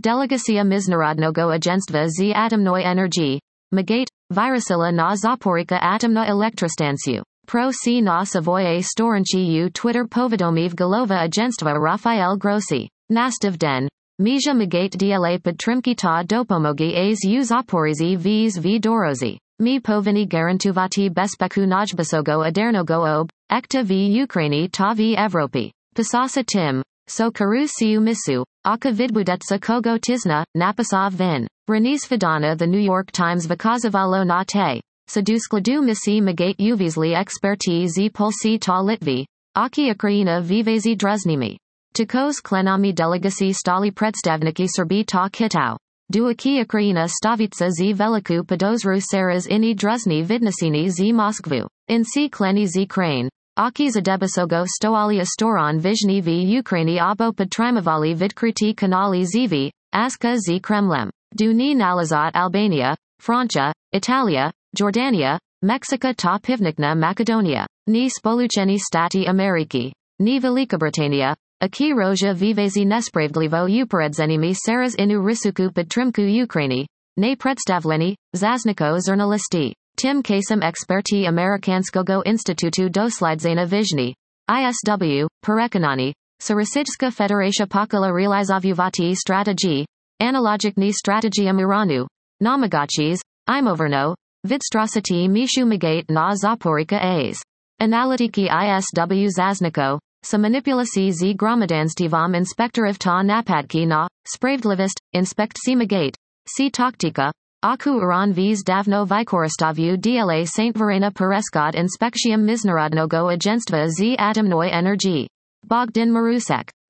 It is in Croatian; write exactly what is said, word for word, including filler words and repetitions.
Delegacja Międzynarodnego Agentstwa z Atomnej Energii, Magate, Wyruszyła na Zaporyka Atomna Elektrostancję. Pro C na swoje stronki Twitter powiadomił głowa agentstwa Rafael Grossi. Nastaw den. Mija Magate dla podtrzymki ta dopomogi az u Zaporizji vz v dorozi. Mi powinni gwarantować bezpeku najwyższego adernego ob, ekta w Ukraini ta w Europie. Pisasa tym. So karu siu misu, aka vidbudetsa kogo tizna, napasa vin. Renis Fidana The New York Times Vykazivalo na te. Saduskladu misi Magate uvizli eksperti z polsi ta Litvi, aki Ukraina vivazi druznimi. Takos klenami delegacji stali predstavniki Serbi ta Kitau. Duaki Ukraina stavica z veliku podozru seras ini druzni vidnasini z Moskvu. In si kleni z Crane. Aki zadebasogo stoalia storon vizhni v Ukraini abo podtrimavali vidkruti kanali zv, aska z Kremlem. Duni nalazat Albania, Francia, Italia, Jordania, Mexico ta pivnikna Macedonia. Ni spolucheni stati Ameriki. Ni Velika Britannia. Aki roja vivazi nespravdlivo uperedzenimi seras inu risuku podtrimku Ukraini. Ne predstavleni, zazniko zernalisti. Tim kasem eksperti Amerikanskogo Institutu dosladzenia vizhni. I S W, Perekonani. Sarasijska Federacja Pokala realizovuvati strategii. Analogicni strategium Iranu. Namagachis. Imoverno. Vidstrosity Mishu Magate na Zaporika A's. Analytiki I S W Zazniko. Sa manipulaci z gromadanstivom inspektorov ta napadki na, spravdlivist, inspect si Magate. Si taktika. Aku Iran vz davno vykoristavu dla Saint Verena Pereskod inspekcium Międzynarodnego Agentstwa z Atomnej Energii. Bogdan Marusek.